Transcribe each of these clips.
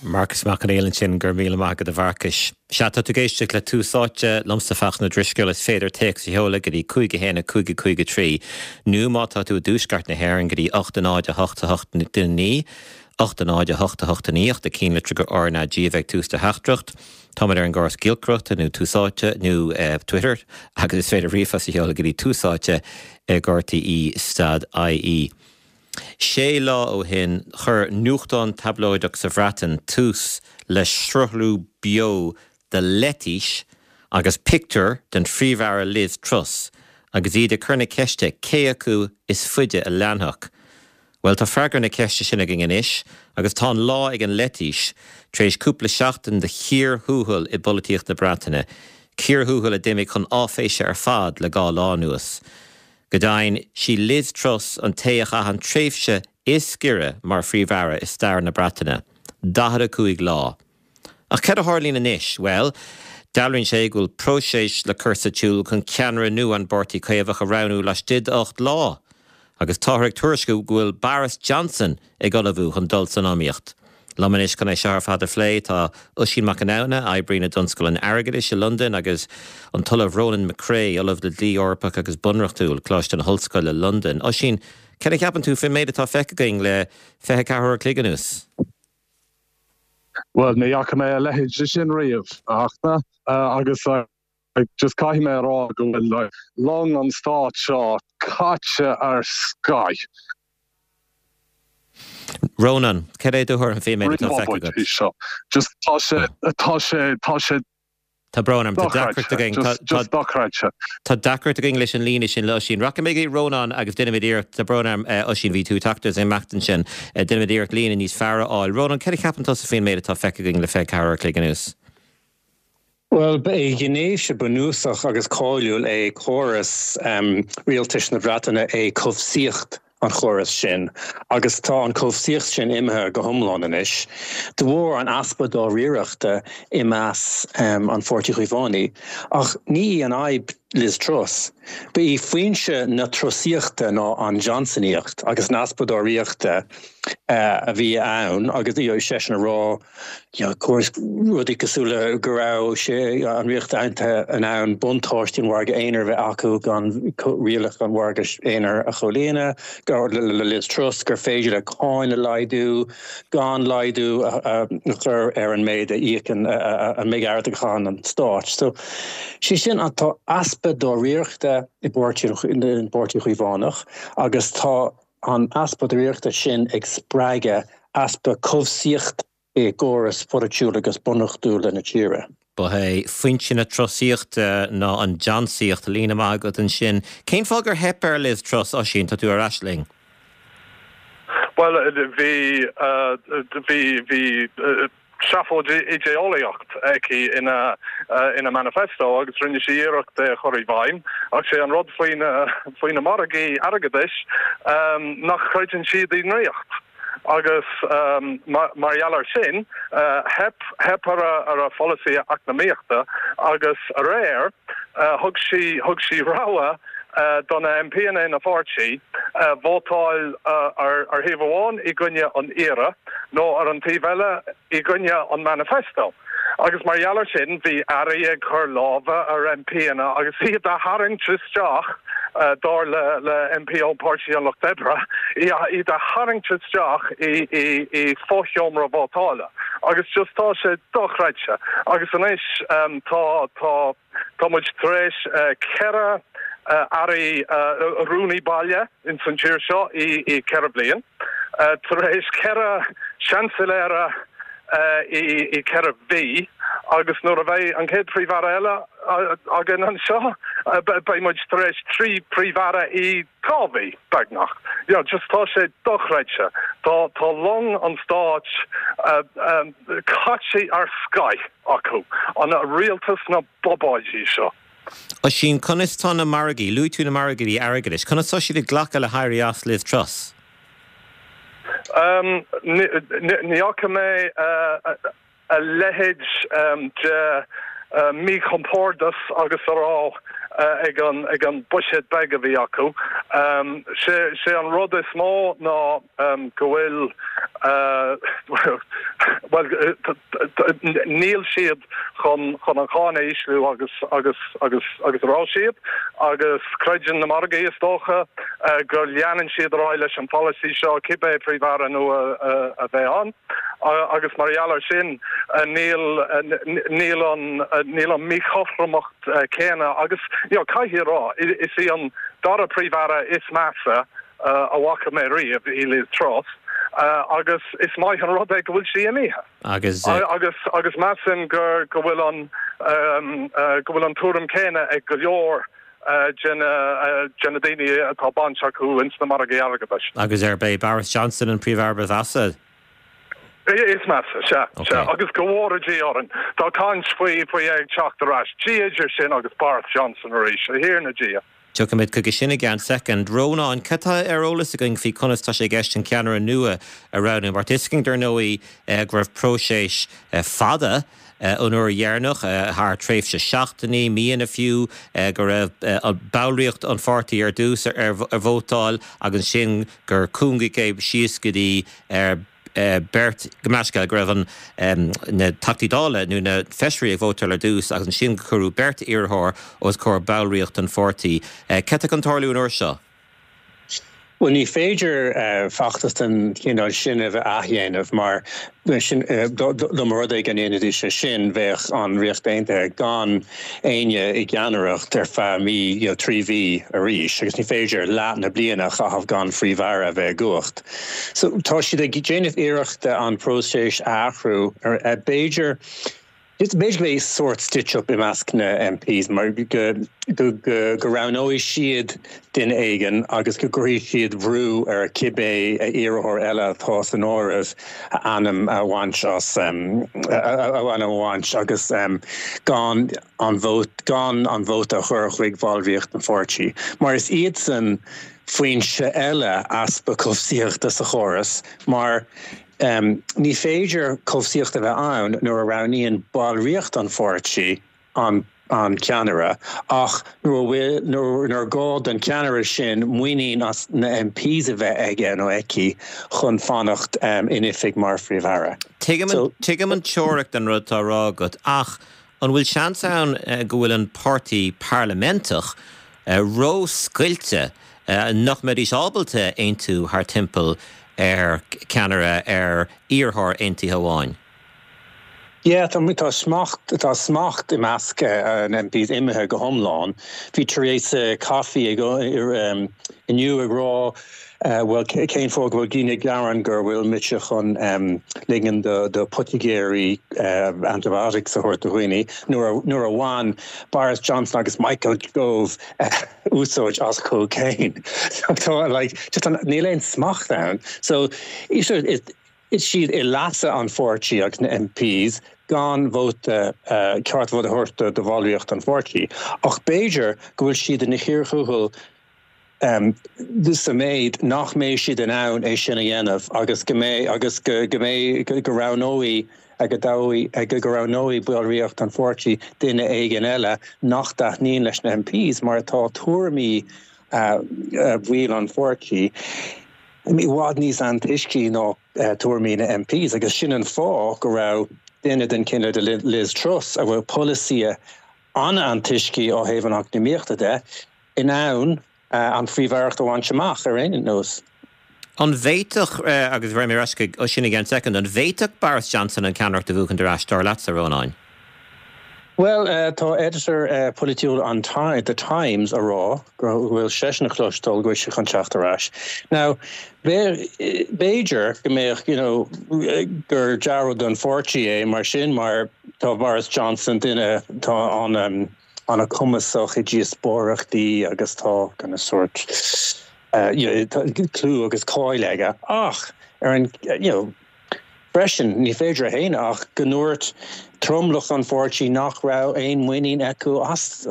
Marcas Mac Conghail ansin, go raibh míle maith agat a Mharcais. Sea, tá tú ag éisteacht le Tús Áite, liomsa Fachtna Ó Drisceoil, is féidir téacs a sheoladh go dtí 5 1 5 5 3 nó má tá tú i dtuaisceart na hÉireann go dtí 8 0 8 8 9, 8 0 8 8 9 ach do chinnlitrigh go RnaG a bheith ag tús do theachtaireacht. Táimid ar an gcóras giolcaireachta nó Tús Áite nó Twitter agus is féidir ríomhphost a sheoladh go dtí túsáite ag rte stad ie. Sé lá ó shin, chuir nuachtán tablóideach sa Bhreatain tús le sruthlú beo de leitís agus pictiúr den Phríomh-Aire Liz Truss agus iad ag cur na ceiste cé acu is faide a leanfadh. Bhuel, tá freagra na ceiste sin againn anois agus tá an lá ag an leitís tar éis cúpla seachtain de chíor thuathail i bpolaitíocht na Breataine, cíor thuathail a d'imigh chun áiféise ar fad le dhá lá anuas. Go deimhin, sí Liz Truss an té a chaith an tréimhse is giorra mar Phríomh-Aire i stair na Breataine, 45 lá. Ach cad a tharlaíonn anois? Bhuel, dealraíonn sé go bhfuil próiseas le cur sa tsiúl chun ceannaire nua an bPáirtí Caomhach a roghnú laistigh d'ocht lá. Agus táthar ag tuairisciú go bhfuil Boris Johnson ag ullmhú chun dul san iomaíocht. Liom anois chun é seo ar fad a phlé tá Oisín Mac Conamhna, a oibríonn i dTionscal an Airgeadais i Londain agus an tOllamh Ronan McCrea, Ollamh le Dlí Eorpach agus Bunreachtúil, Coláiste na hOllscoile, Londain. Oisín, cad a cheapann tú faoin méid atá feicthe againn le 24 uair a chloig anuas? Bhuel, ní fhaca mé a leithéid de sin riamh, a Fhachtna, agus just caithfidh mé a rá go bhfuil long an stáit seo caite ar scoith. Rónán, cad é do thuairim faoin méid atá feicthe agat? Just tá sé, tá sé, tá sé Tá brón orm, tá deacracht againn, tá, Just dochreidte. tá deacracht againn leis an líne sin le Oisín. Rachaidh mé go dtí Rónán agus déanfaimid iarracht, tá brón orm, Oisín, bhí tú ag teacht is ag imeacht ansin, déanfaimid iarracht líne níos fearr a fháil. Rónán, cad a cheapann tusa faoin méid atá feicthe againn le 24 uair a chloig anuas? Bhuel, ba é gnéithe bunúsach agus cáiliúil é córas rialtais na Breataine é cobhsaíocht an chórais sin agus tá an chobhsaíocht sin imithe go hiomlán anois de bharr an easpa dáiríreachta i measc an Pháirtí Chaomhánaigh. Ach ní í an fhadhb Liz Truss. Ba í foinse na Trusaíochta ná an Johnsonaíocht agus an easpa dáiríreachta a bhí ann agus seisean a rá of course, rudaí cosúil le go raibh sé, an Ríocht Aontaithe, in ann buntáistí an mhargaidh aonair a bheith acu gan rialacha an mhargaidh aonair a chomhlíonadh, le Liz Truss, gur féidir le cáin a laghdú gan laghdú a chur ar an méid a íocann, an méid airgid a chaitheann an stát. So, sé sin, tá easpa dáiríreachta i bpáirtí, an bPáirtí Chaomhánach agus tá an easpa dáiríreachta sin ag spreagadh easpa cobhsaíochta i gcóras polaitiúil agus bunreachtúil na tíre. Ba é foinse na Trusaíochta ná an Johnsaíocht. Líne maith agat ansin. Cén fáth gur theip ar Liz Truss, Oisín? Tá tú ar ais linn. Bhuel, bhí, bhí, bhí. seafóid idé-eolaíocht aici ina ina manifesto agus rinne sí iarracht é a chur i bhfeidhm ach sé an rud faoi na faoi na margaí airgeadais nach gcreideann siad i ndraíocht agus mar gheall air sin theip theip ar a ar a pholasaí eacnamaíochta agus aréir thug sí thug sí rogha do na MPanna ina pháirtí vótáil ar ar thaobh amháin i gcoinne an iarraidh nó ar an taobh eile i gcoinne an manifesto. Agus mar gheall ar sin bhí airí ag cur lámha ar MPanna agus iad a tharraingt isteach, dar le le MP ón Páirtí an Lucht Oibre, iad a tharraingt isteach i i i fosheomra vótála. Agus just tá sé dochreidte. Agus anois tá tá Tá muid tar éis 4 airí, rúnaí baile ins an tír seo i 4 bliain, tar éis 4 seansailéara i 4 mhí agus nuair a bheidh an chéad Phríomh-Aire eile againn anseo beidh muid tar éis 3 Phríomh-Aire i 2 mhí, beagnach. You know, just tá sé dochreidte. Tá, tá long an stáit caite ar scoith acu, an rialtas na bobáidí seo. Oisín, conas tá na margaí, luaigh tú na margaí airgeadais, conas tá siad ag glacadh le héirí as Liz Truss? Ní fhaca mé a leithéid de mhíchompordas agus a raibh ag an ag an buiséad beag a bhí acu. Sé an rud is mó ná go bhfuil. Bhuel, níl siad chun chun an cháin a ísliú agus agus agus agus a raibh siad, agus creideann na margaí, is dócha, go leanann siad ar aghaidh leis an pholasaí seo, cibé Príomh-Aire nua a bheidh ann. Agus mar gheall air sin, níl níl an níl an míchothromacht céanna agus, you know, caithfidh a rá, is í an dara Príomh-Aire is measa a bhfaca mé riamh í Liz Truss agus is maith an rud é go bhfuil sí imithe. Agus. Agus agus measaim gur go bhfuil an go bhfuil an tuairim céanna ag go leor de na de na daoine atá baint acu ins na margaí airgeadais. Agus arb é Boris Johnson an Príomh-Aire ba mheasa? Is measa, sea, sea. Agus go bhfóire Dia orainn, tá caint faoi faoi é ag teacht ar ais. Dia idir sinn agus Boris Johnson arís, a Thiarna Dia. Tiocfaimid chuige sin i gceann soicind. Rónán, cad tá ar eolas againn faoi conas tá sé i gceist an ceannaire nua a roghnú? Mar tá 'fhios againn, dar ndóigh, go raibh próiseas fada an uair dheireanach, thar tréimhse seachtainí, míonna fiú, go raibh ballraíocht an pháirtí ar dtús ar vótáil agus ansin gur cúngaíodh é síos go dtí beirt, gabh mo leithscéal, go raibh an, na Teachtaí Dála nó na Feisirí ag vótáil ar dtús agus ansin gur cuireadh beirt iarrthóir os comhair ballraíocht an pháirtí. Cad tá chun tarlú an uair seo? Bhuel, ní féidir feachtas den chineál sin a bheith athdhéanamh mar sin, dá mba rud é go ndéanfaidís é sin, bheadh an Ríocht Aontaithe gan éinne i gceannaireacht ar feadh mí, you know, 3 mhí arís agus ní féidir leath na bliana a chaitheamh gan Phríomh-Aire a bheith i gcumhacht. So tá siad ag déanamh iarrachta an próiseas a athrú. B'fhéidir, b'fhéidir go mbeidh sórt stitch up i measc na MPs mar go go go roghnóidh siad duine éigin agus go gcuirfidh siad brú ar cibé iarrthóir eile atá san áireamh a ainm a bhaint as a ainm a bhaint agus gan an vóta gan an vóta a chur chuig bhallraíocht an pháirtí mar is iadsan foinse eile easpa cobhsaíochta sa chóras mar ní féidir cobhsaíocht a bheith ann nuair a roghnaíonn ballraíocht an pháirtí an an ceannaire ach nuair a bhfuil nuair gá don cheannaire sin muinín as na MPs a bheith aige nó aici chun fanacht in oifig mar Phríomh-Aire. Tuigim an teoiric den rud atá á rá agat ach An bhfuil seans ann go bhfuil an páirtí parlaiminteach ró-scoilte, nach mbeidís ábalta aontú thar timpeall ar cheannaire, ar iarrthóir aontaithe amháin? Yeah, tá, tá smacht, tá smacht i measc an MPs imithe go hiomlán. Bhí Theresa Coffey ag, inniu ag rá, Bhuel, cén fáth go bhfuil daoine ag gearán gur bhfuil mise chun ligean do poitigéirí antibiotics a thabhairt do dhaoine nuair a bhain Boris Johnson agus Michael Gove úsáid as cocaine? Tá, like, just an, níl aon smacht ann. So, is siad i leasa an pháirtí agus na MPs gan vóta, ceart vóta a thabhairt do bhallraíocht an pháirtí. Ach b'fhéidir go bhfuil siad ina chíor thuathail sa méid nach mbeidh siad in ann é sin a dhéanamh agus go mbeidh agus go mbeidh go roghnóidh go dtoghfaidh go roghnóidh ballraíocht an pháirtí duine éigin eile nach dtaitníonn leis na MPs mar tá tuairimí bhaill an pháirtí i bhfad níos antoiscí ná tuairimí na MPs agus sin an fáth go raibh duine den chineál de Liz Truss a bhfuil polasaithe an-antoiscí ó thaobh an eacnamaíochta de in ann an phríomh-aireacht a bhaint amach ar aon nós. An bhféadfadh, agus raghaidh mé ar ais chuig Oisín i gceann soicind, an bhféadfadh Boris Johnson an ceannaireacht a bhuachaint ar ais, dar leatsa, a Rónáin? Bhuel, tá editor polaitiúil an The Times a rá go bhfuil seisean a chloisteáil go bhfuil sé chun teacht ar ais. Now, b'fhéidir go mbeadh, you know, gur dea-rud don pháirtí é mar sin mar tá Boris Johnson duine, tá an, an-chumasach i díospóireachtaí agus tá kind of sórt you know clú agus cáil aige ach ar an you know freisin ní féidir a shéanadh ach go ndúirt tromlach an pháirtí nach raibh aon muinín acu as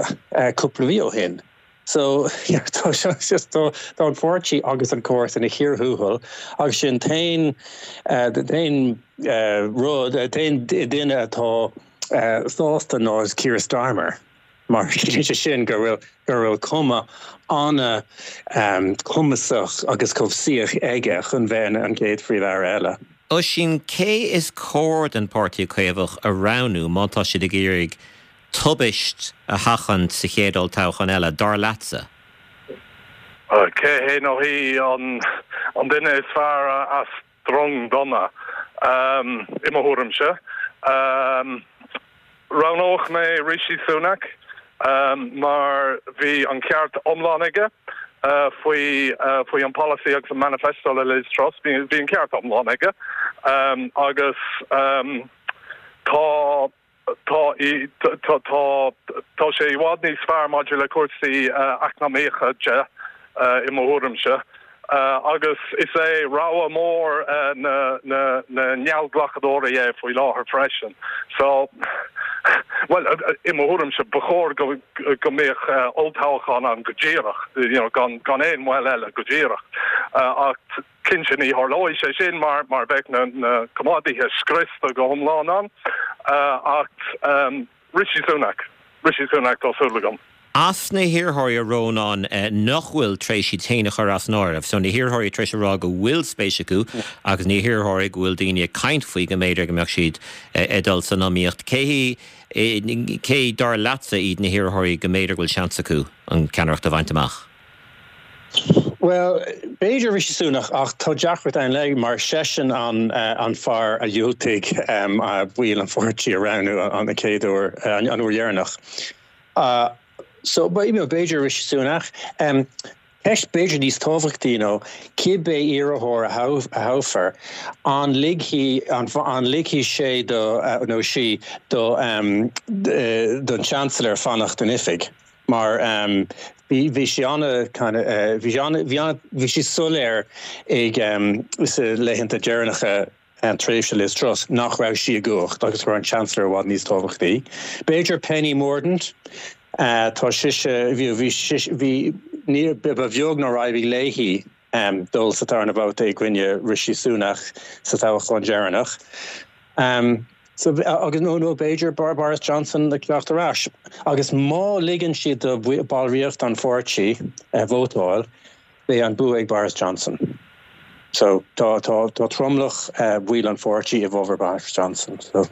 cúpla mhí ó shin. So you know tá just tá tá an pháirtí agus an córas ina chíor thuathail agus sin t-aon t-aon rud t-aon duine atá sásta ná Keir Starmer mar ciallaíonn sé sin go bhfuil go bhfuil cuma an-chumasach agus cobhsaíoch aige chun bheith ina an chéad Phríomh-Aire eile. Oisín, cé is cóir don Páirtí Caomhach a roghnú má tá siad ag iarraidh tubaist a sheachaint sa chéad olltoghchán eile, dar leatsa? Cé hé nó hí an duine is fearr as drong dona, i mo thuairimse. Roghnódh mé Rishi Sunak mar bhí an ceart iomlán aige faoi faoi an polasaí agus an manifesto le Liz Truss. Bhí an ceart iomlán aige agus tá Tá, tá, tá sé i bhfad níos fearr maidir le cúrsaí eacnamaíocha de, i mo thuairimse, agus is é rogha mór na, na, na ngeallghlacadóirí é faoi láthair freisin. So, bhuel, i mo thuairimse, ba chóir go, go mbeadh olltoghchán ann go díreach, you know, gan, gan aon mhoill eile, go díreach. Ach Cinnte, ní tharlóidh sé sin mar mar bheadh na na coimeádaithe scriosta go hiomlán ann ach Rishi Sunak, Rishi Sunak tá súil agam. As na hiarrthóirí, a Rónáin, nach bhfuil tar éis iad féin a chur as an áireamh, so na hiarrthóirí tar éis a rá go bhfuil spéis acu agus na hiarrthóirí go bhfuil daoine ag caint faoi go mb'fhéidir go mbeadh siad ag dul san iomaíocht, cé cé dar leatsa iad na hiarrthóirí go mb'fhéidir go bhfuil seans acu an ceannaireacht a bhaint amach? Bhuel, b'fhéidir Rishi Sunak ach tá deacracht ann leis mar seisean an fear a dhiúltaigh baill an pháirtí a roghnú an chéad uair, an uair dheireanach. So, b'fhéidir Rishi Sunak. Ceist b'fhéidir níos tábhachtaí ná cibé iarrthóir a thoghfar, an ligfidh an ligfidh sé do nó sí do don Chancellor fanacht in oifig? Mar bhí bhí sé ana kind of bhí sé ana bhí ana bhí sé soiléir ag sa laethanta deireanacha tréimhse Liz Truss nach raibh sí i gcumhacht agus go raibh an Chancellor i bhfad níos tábhachtaí. B'fhéidir Penny Mordaunt, tá sise bhí bhí sise bhí ní ba bheag nár éirigh léi dul sa tarna babhta i gcoinne Rishi Sunak sa toghchán deireanach. So, agus nó nó b'fhéidir Boris Johnson ag teacht ar ais. Agus má ligeann siad do bhallraíocht an pháirtí vótáil, beidh an bua ag Boris Johnson. So, tá tá tá tromlach bhaill an pháirtí i bhfabhar Boris Johnson. So,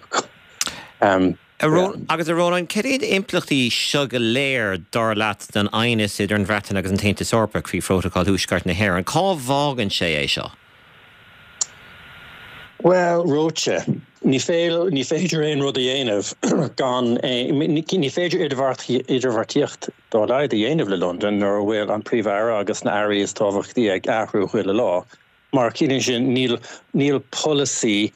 um, yeah. Agus a Rónáin, cad iad impleachtaí seo go léir, dar leat, don aighneas idir an Bhreatain agus an tAontas Eorpach faoi Phrótacal Thuaisceart na hÉireann? Cá bhfágann sé é seo? Bhuel, reoite. Ní ní féidir aon rud a dhéanamh gan ní féidir idirbheartaíocht dá laghad a dhéanamh le Londain nuair a bhfuil an Príomh-Aire agus na airí is tábhachtaí ag athrú chuile lá. Mar ciallaíonn sin níl níl polasaí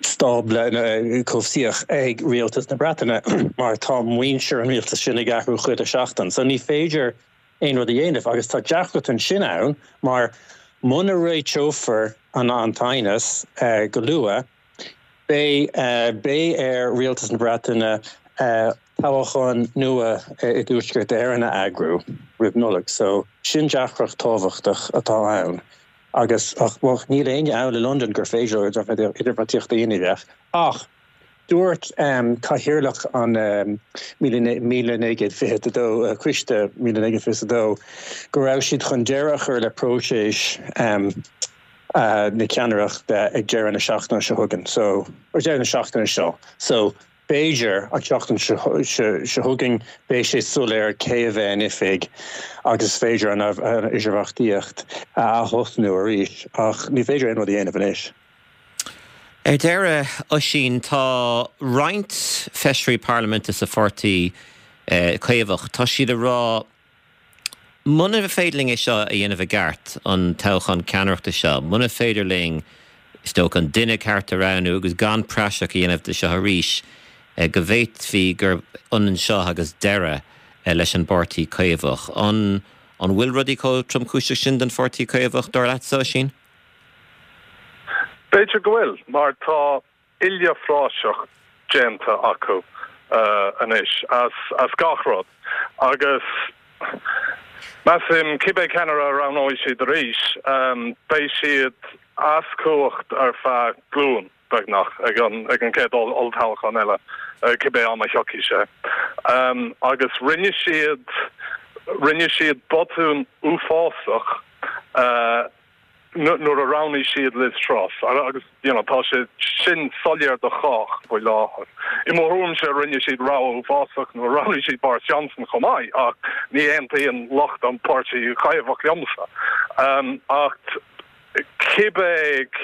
stábla cobhsaíoch ag rialtas na Breataine mar tá muintir an rialtais sin ag athrú chuile seachtain. So ní féidir aon rud a dhéanamh agus tá deacracht ansin ann mar muna réiteofar an an t-aighneas go luath beidh beidh ar Rialtas na Breataine toghchán nua i dTuaisceart Éireann a eagrú roimh Nollaig so sin deacracht tábhachtach atá ann agus ach bhuel níl éinne ann i Londain gur féidir leo idirbheartaíocht a dhéanamh ach Dúirt Cathaoirleach an 1922, Coiste 1922, go raibh siad chun deireadh a chur le próiseas na ceannaireachta ag deireadh na seachtaine seo chugainn, so, or deireadh na seachtaine seo. So, b'fhéidir an tseachtain seo chugainn beidh sé soiléir cé a bheidh in oifig agus is féidir an idirbheartaíocht a ath-thosnú arís ach ní féidir aon rud a dhéanamh anois. Ar deireadh, Oisín, tá roinnt feisirí parlaiminte sa pháirtí Caomhach, tá siad ag rá, muna féidir linn é seo a dhéanamh i gceart, an toghchán ceannaireachta seo, muna féidir linn, is dócha, an duine ceart a roghnú agus gan praiseach a dhéanamh de seo arís, go bhféadfaí gurb ionann seo agus deireadh leis an bpáirtí Caomhach. An bhfuil rudaí chomh tromchúiseach sin don pháirtí Caomhach, dar leatsa, Oisín? B'fhéidir go bhfuil, mar tá uile phraiseach déanta acu anois as gach rud agus measaim cibé ceannaire a roghnóidh siad arís, beidh siad as cumhacht ar feadh glúin, beagnach, ag an gcéad olltoghchán eile, cibé am a thiocfaidh sé. Agus rinne siad, rinne siad botún uafásach. Nuair a roghnaigh siad Liz Truss, agus you know tá sé sin soiléir do chách faoi láthair. I mo thuairimse rinne siad rogha uafásach nuair a roghnaigh siad Boris Johnson chomh maith ach ní aontaíonn lucht an Páirtí Chaomhach liomsa. Ach cibé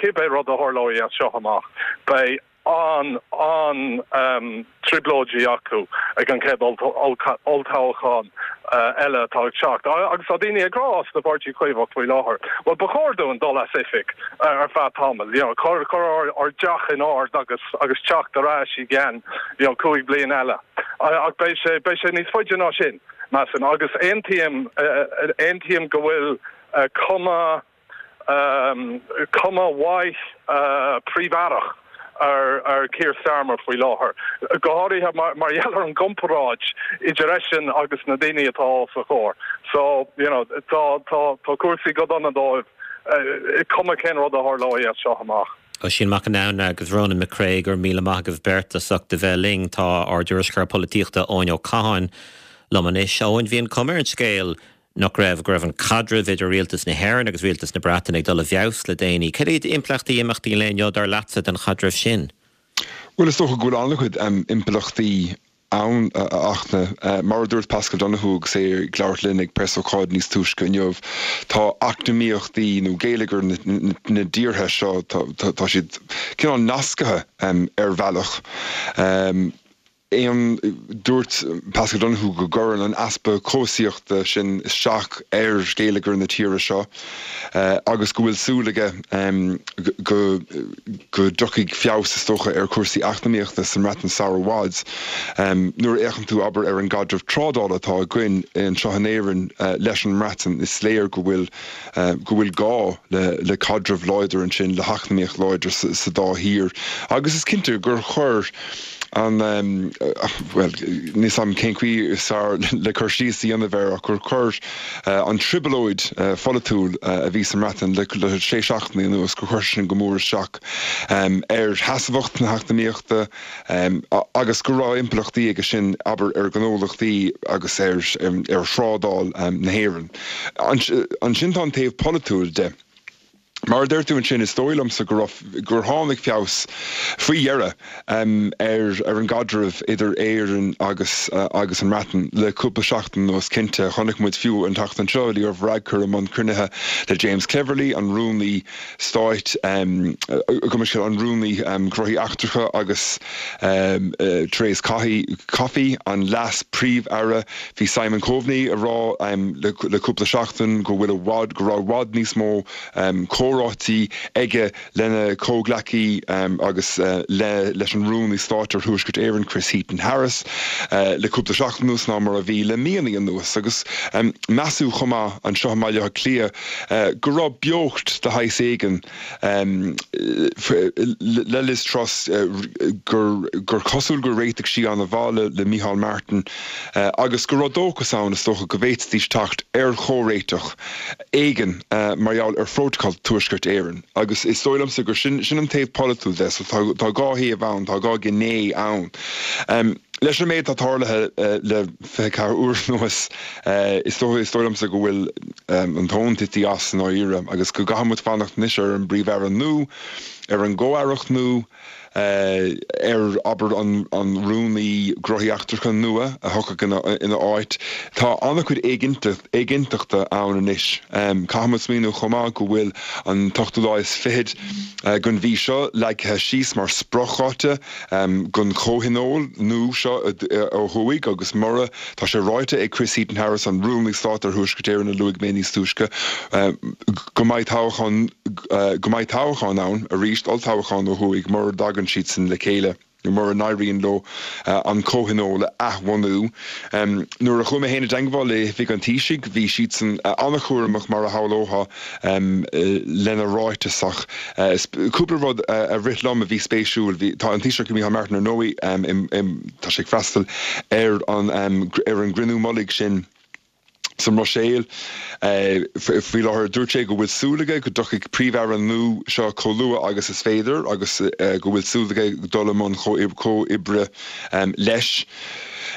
cibé rud a tharlóidh as seo amach beidh an an-trioblóidí acu ag an chéad olltoghchán eile atá ag teacht. Agus tá daoine ag rá sa bPáirtí Caomhach faoi láthair, bhuel, ba chóir dúinn dul as oifig ar feadh tamaill, you know, cur ár dteach in ord agus agus teacht ar ais i gceann, you know, 5 bliain eile. Ach beidh sé, beidh sé níos faide ná sin, measaim. Agus aontaím, aontaím go bhfuil cuma, cuma mhaith Príomh-Aireach ar Keir Starmer faoi láthair, go háirithe mar gheall ar an gcomparáid idir eisean agus na daoine atá os a chomhair. So, you know, tá tá cúrsaí go dona dóibh, cuma cén rud a tharlóidh as seo amach. Oisín Mac Con agus Ronan McCrea, go raibh míle maith agaibh beirt as ucht a bheith linn. Tá ár dtuairisceoir polaitíochta Eoin Ó Catháin liom anois. Eoin, bhí an cuma ar an scéal nach raibh, go raibh an caidreamh idir rialtas na hÉireann agus rialtas na Breataine ag dul i bhfeabhas le déanaí. Cad iad impleachtaí imeachtaí an lae inniu, dar leatsa, don chaidreamh sin? Bhuel, is dócha go bhfuil an-chuid impleachtaí ann, a Fhachtna. Mar a dúirt Paschal Donohoe agus é ag labhairt linn ag preasócáid níos túisce inniu, tá eacnamaíochtaí nó geilleagair na dtíortha seo, tá siad cineál nasctha ar bhealach. 1, Dúirt Paschal Donohoe go gcuireann an easpa cobhsaíochta sin isteach ar gheilleagar na tíre seo agus go bhfuil súil aige go go dtiocfaidh feabhas, is dócha, ar chúrsaí eacnamaíochta sa mBreatain sar i bhfad. Nuair a fhéachann tú, abair, ar an gcaidreamh trádála atá againn anseo in Éirinn leis an mBreatain, is léir go bhfuil go bhfuil gá le caidreamh láidir ansin, le heacnamaíocht láidir sa dá thír agus is cinnte gur chuir an, bhuel, níl 'fhios a'm cén chaoi is fearr le cur síos a dhéanamh air ach gur chuir an trioblóid pholaitiúil a bhí sa mBreatain le sé seachtainí anuas, gur chuir sin go mór isteach ar sheasmhacht na heacnamaíochta agus go raibh impleachtaí aige sin, abair, ar ghnólachtaí agus ar thrádáil na hÉireann. Ansin tá an taobh polaitiúil de. Mar a deir tú ansin, is dóigh liomsa go raibh, gur tháinig feabhas faoi dheireadh ar ar an gcaidreamh idir Éirinn agus agus an mBreatain le cúpla seachtain anuas cinnte. Chonaic muid fiú an tseachtain seo Leo Varadkar i mbun cruinnithe le James Cleverly, an Rúnaí Stáit, gabh mo leithscéal, an Rúnaí Gnóthaí Eachtracha agus Therese Coffey, an Leas-Phríomh-Aire. Bhí Simon Coveney ag rá le cúpla seachtain go bhfuil i bhfad, go raibh i bhfad níos mó comhráití aige lena chomhghleacaí agus leis an Rúnaí Stáit ar Thuaisceart Éireann, Chris Heaton-Harris, le cúpla seachtain anuas ná mar a bhí le míonna anuas. Agus measadh chomh maith anseo i mBaile Átha Cliath go raibh beocht de shaghas éigin le Liz Truss gur cosúil gur réitigh sí an-mhaith le Micheál Martin agus go raibh dóchas ann, is dócha, go bhféadfaidís teacht ar chomhréiteach éigin mar gheall ar Phrótacal Tuaisceart Éireann. Agus is dóigh liomsa gur sin an taobh polaitiúil de. So tá dhá thaobh ann, tá dhá ghné ann. Leis an méid atá tarlaithe le 24 uair anuas, is dóigh is dóigh liomsa go bhfuil an tóin tite as i ndáiríre agus go gcaithfidh muid fanacht anois ar an bPríomh-Aire nua, ar an gComh-Aireacht nua, ar, abair, an Rúnaí Gnóthaí Eachtracha nua a thiocfaidh ina áit. Tá an-chuid éiginnteachta ann anois. Caithfidh muid smaoineamh chomh maith go bhfuil an t-ochtú lá is fichead den mhí seo leagtha síos mar spriocdháta don chomhthionól nua seo ó thuaidh agus mura, tá sé ráite ag Chris Heaton-Harris, an Rúnaí Stáit ar Thuaisceart Éireann a luaigh mé níos túisce, go mbeidh toghchán, go mbeidh toghchán ann arís, olltoghchán ó thuaidh mura dtagann siadsan le chéile nó mura n-éiríonn leo an comhthionól a athbhunú. Nuair a chuaigh mé féin i dteangmháil le hOifig an Taoisigh bhí siadsan an-chúramach mar a shamhlófá lena ráiteas ach cúpla rud a rith liom a bhí spéisiúil. Bhí, tá an Taoiseach Micheál Martin ar ndóigh, tá sé ag freastal ar an ar an gcruinniú mullaigh sin sa mBruiséil faoi láthair. Dúirt sé go bhfuil súil aige go dtiocfaidh Príomh-Aire nua seo chomh luath agus is féidir agus go bhfuil súil aige dul i mbun comhoibre leis.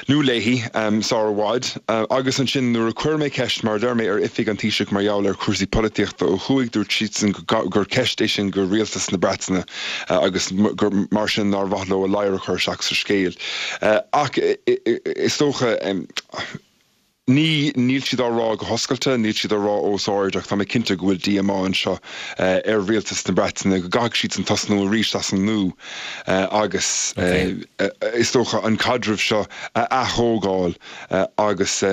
nó léi, sár i bhfad. Agus ansin nuair a chuir mé ceist, mar a deir mé, ar oifig an Taoisigh mar gheall ar chúrsaí polaitíochta ó thuaidh, dúirt siadsan gur ceist é sin go rialtas na Breataine agus gur mar sin nár mhaith leo a ladhar a chur isteach sa scéal. Ach is dócha. Ní, níl siad á rá go hoscailte, níl siad á rá os ard ach tá mé cinnte go bhfuil díomá anseo ar rialtas na Breataine go gcaithfidh siadsan tosnú arís as an nua agus is dócha an caidreamh seo a ath-thógáil agus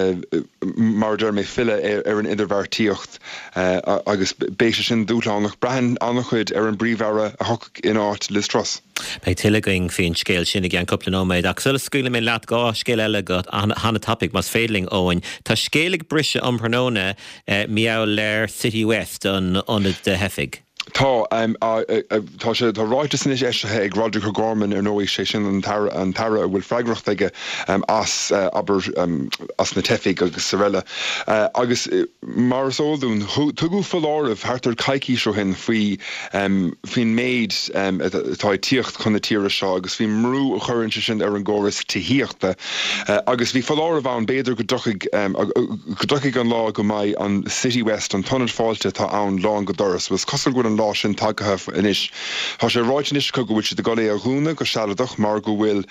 mar a deir mé filleadh ar an idirbheartaíocht agus beidh sé sin dúshlánach. Braitheann an-chuid ar an bPríomh-Aire a thiocfaidh in áit Liz Truss. Beidh tuilleadh againn faoin scéal sin i gceann cúpla nóiméad, ach sula scaoilfidh mé leat, 2 scéal eile go han-tapaidh, más féidir linn, Eoin. Tá scéal ag briseadh um thráthnóna mar gheall ar Citywest, an ionad do theifigh. Tá. Tá sé, tá ráiteas anois eisithe ag Roderic O'Gorman, ar ndóigh, sé sin an tAire, an tAire a bhfuil freagracht aige as, abair, as na teifigh agus araile. Agus mar is eol dúinn, tugadh foláireamh thart ar coicís ó shin faoi, faoin méid atá ag tíocht chun na tíre seo agus faoin mbrú a chuireann sé sin ar an gcóras tithíochta. Agus bhí foláireamh ann, b'fhéidir go dtiocfaidh, go dtiocfaidh an lá go mbeidh an Citywest, an t-ionad fáilte atá ann, lán go doras. Bhuel, is cosúil go bhfuil an lá sin tagtha anois. Tá sé ráite anois acu go bhfuil siad ag dul é a dhúnadh go sealadach mar go bhfuil,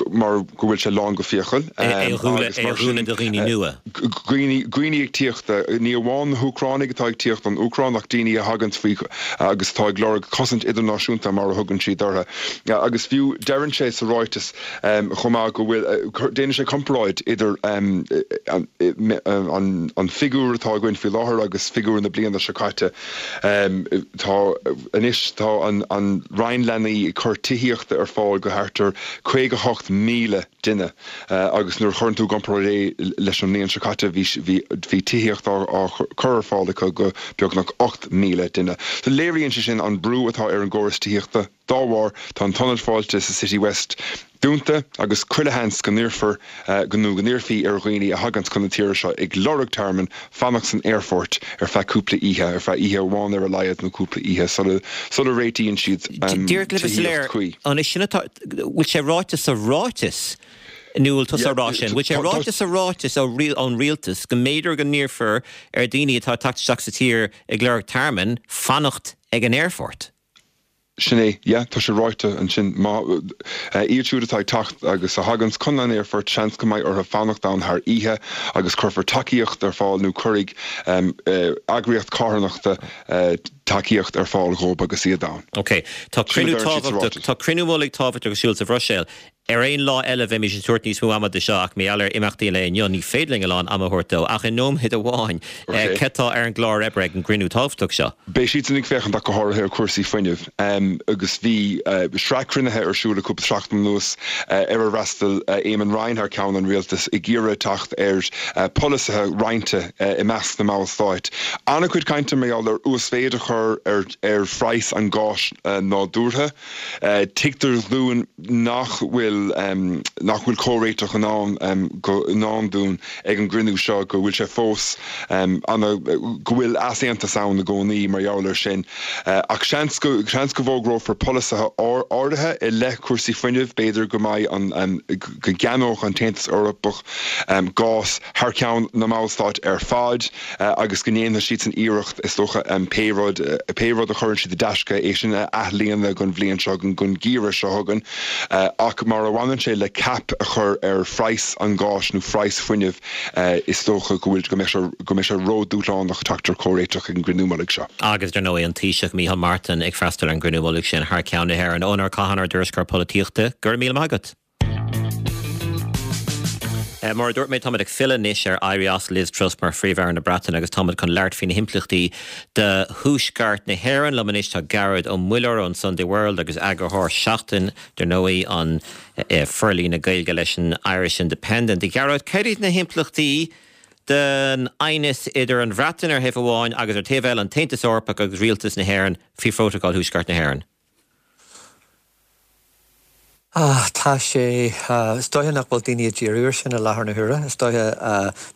mar go bhfuil sé lán go fiacail. É a dhúnadh do dhaoine nua. Daoine, daoine ag tíocht, ní amháin na hÚcránaigh atá ag tíocht ón Úcráin ach daoine a thaganns faoi agus atá ag lorg cosaint idirnáisiúnta mar a thugann siad orthu. Agus fiú deireann sé sa ráiteas chomh maith go bhfuil, déanann sé comparáid idir an figiúr atá againn faoi láthair agus figiúr na bliana seo caite. Tá anois, tá an Roinn Leanaí ag cur tithíochta ar fáil go thart ar 58,000 duine agus nuair a chuireann tú i gcomparáid é leis an mbliain seo caite bhí bhí tithíocht á á cur ar fáil acu go beagnach 8,000 duine. So léiríonn sé sin an brú atá ar an gcóras tithíochta. Dá bharr tá an t-ionad fáilte sa Citywest dúnta agus chuile sheans go n-iarrfar go nó go n-iarrfaí ar dhaoine a thaganns chun na tíre seo ag lorg tearmainn fanacht san aerfort ar feadh cúpla oíche, ar feadh oíche amháin ar a laghad nó cúpla oíche sula sula réitíonn siad tithíocht chuí. An é sin atá bhfuil sé ráite sa ráiteas, nó bhfuil tusa á rá sin, bhfuil sé ráite sa ráiteas ón rialtas go mb'fhéidir go n-iarrfar ar dhaoine atá ag teacht isteach sa tír ag lorg tearmainn fanacht ag an aerfort? Sin é, yeah, tá sé ráite ansin. Má, iad siúd atá ag teacht agus a thaganns chun an aerfoirt, seans go mbeidh orthu fanacht ann thar oíche agus cuirfear tacaíocht ar fáil nó cuirfidh eagraíocht carthanachta tacaíocht ar fáil dhóibh agus iad ann. Ok. Tá cruinniú tábhachtach, tá cruinniú mullaigh tábhachtach ar siúl sa Bhruiséil. Ar aon lá eile bheimis ag tabhairt níos mó ama do seo ach mar gheall ar imeachtaí an lae inniu ní féidir linn a lán ama a thabhairt dó. Ach i nóiméad amháin, céard atá ar an gclár oibre ag an gcruinniú tábhachtach seo? Beidh siadsan ag féachaint ach go háirithe ar chúrsaí fuinnimh agus bhí sraith cruinnithe ar siúl le cúpla seachtain anuas ar ar fhreastail Eamon Ryan thar ceann an rialtais ag iarraidh teacht ar pholasaithe roinnte i measc na mballstáit. An-chuid cainte mar gheall ar uasmhéid a chur ar phraghas an gháis nádúrtha. Tuigtear dúinn nach bhfuil nach bhfuil comhréiteach i ndán i ndán dúinn ag an gcruinniú seo, go bhfuil sé fós ana go bhfuil easaontas ann i gcónaí mar gheall air sin. Ach seans go seans go bhfógrófar polasaithe áirithe i leith cúrsaí fuinnimh, b'fhéidir go mbeidh an go gceannódh an tAontas Eorpach gás thar ceann na mballstát ar fad agus go ndéanfaidh siadsan iarracht, is dócha, pé rud, pé rud a chuireann siad i dtaisce, é sin a athlíonadh don bhliain seo chugainn, don gheimhreadh seo chugainn. Ach mar a bhaineann sé le cap a chur ar phraghas an gháis nó phraghas fuinnimh, is dócha go bhfuil, go mbeidh sé, go mbeidh sé ródhúshlánach teacht ar chomhréiteach ag an gcruinniú mullaigh seo. Agus, dar ndóigh, an Taoiseach Micheál Martin ag freastal ar an gcruinniú mullaigh sin thar ceann na hÉireann. Eoin R. Catháin, ár dtuairisceoir polaitíochta, go raibh míle maith agat. Mar a dúirt mé, táimid ag filleadh anois ar éirí as Liz Truss mar Phríomh-Aire na Breataine agus táimid chun labhairt faoi na himpleachtaí do Thuaisceart na hÉireann. Liom anois tá Gearóid Ó Muilleoir ón Sunday World agus eagarthóir Seachtain, dar ndóigh, an forlíonadh Gaeilge leis an Irish Independent. A Ghearóid, céard iad na himpleachtaí don aighneas idir an Bhreatain ar thaobh amháin agus ar taobh eile an tAontas Eorpach agus Rialtas na hÉireann faoi Phrótacal Thuaisceart na hÉireann? Ah, tá sé, is dóiche nach bhfuil daoine ag díriú air sin i láthair na huaire. Is dóiche,